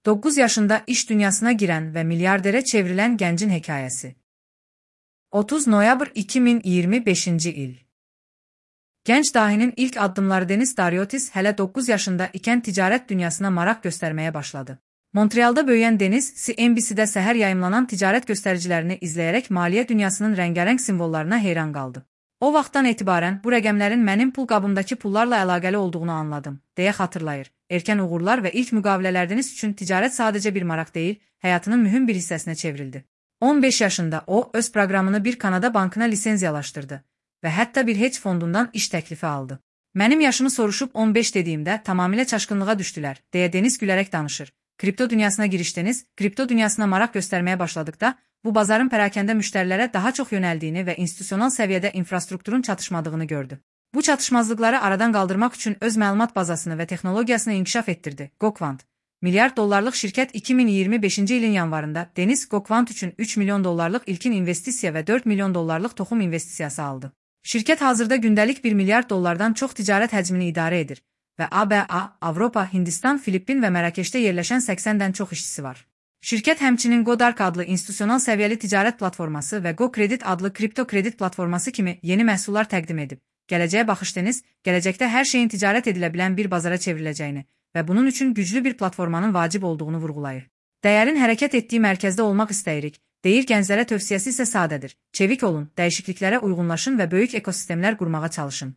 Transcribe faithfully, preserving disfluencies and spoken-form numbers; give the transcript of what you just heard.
dokuz yaşında iş dünyasına giren ve milyardere çevrilen gencin hikayesi. otuz Noyabr iki bin iyirmi beşinci il. Genç dahinin ilk adımları Denis Dariotis hele dokuz yaşında iken ticaret dünyasına marak göstermeye başladı. Montreal'da büyüyen Denis, C N B C'de seher yayımlanan ticaret göstericilerini izleyerek maliye dünyasının rengarenk simvollarına heyran kaldı. O vaxtdan etibarən bu rəqəmlərin mənim pul qabımdakı pullarla əlaqəli olduğunu anladım, deyə xatırlayır. Erkən uğurlar və ilk müqavilələriniz üçün ticarət sadəcə bir maraq deyil, həyatının mühüm bir hissəsinə çevrildi. on beş yaşında o, öz proqramını bir Kanada bankına lisenziyalaşdırdı və hətta bir hedge fondundan iş təklifi aldı. Mənim yaşımı soruşub on beş dediyimdə tamamilə çaşqınlığa düşdülər, deyə Denis gülərək danışır. Kripto dünyasına girişdiniz, kripto dünyasına maraq göstərməyə başladıqda, bu bazarın pərakəndə müştərilərə daha çox yönəldiyini və institusional səviyyədə infrastrukturun çatışmadığını gördü. Bu çatışmazlıqları aradan qaldırmaq üçün öz məlumat bazasını və texnologiyasını inkişaf etdirdi. GoQuant. Milyard dollarlıq şirkət iki bin iyirmi beşinci ilin yanvarında Denis GoQuant üçün üç milyon dollarlıq ilkin investisiya və dörd milyon dollarlıq toxum investisiyası aldı. Şirkət hazırda gündəlik bir milyard dollardan çox ticarət həcmini idarə edir və A B A, Avropa, Hindistan, Filippin və Mərakeşdə yerləşən səksəndən çox işçisi var. Şirkət həmçinin GoDark adlı institusional səviyyəli ticarət platforması və GoCredit adlı kripto kredit platforması kimi yeni məhsullar təqdim edib. Gələcəyə baxış Denis, gələcəkdə hər şeyin ticarət edilə bilən bir bazara çevriləcəyini və bunun üçün güclü bir platformanın vacib olduğunu vurğulayır. Dəyərin hərəkət etdiyi mərkəzdə olmaq istəyirik, deyir gənclərə tövsiyəsi isə sadədir. Çevik olun, dəyişikliklərə uyğunlaşın və böyük ekosistemlər qurmağa çalışın.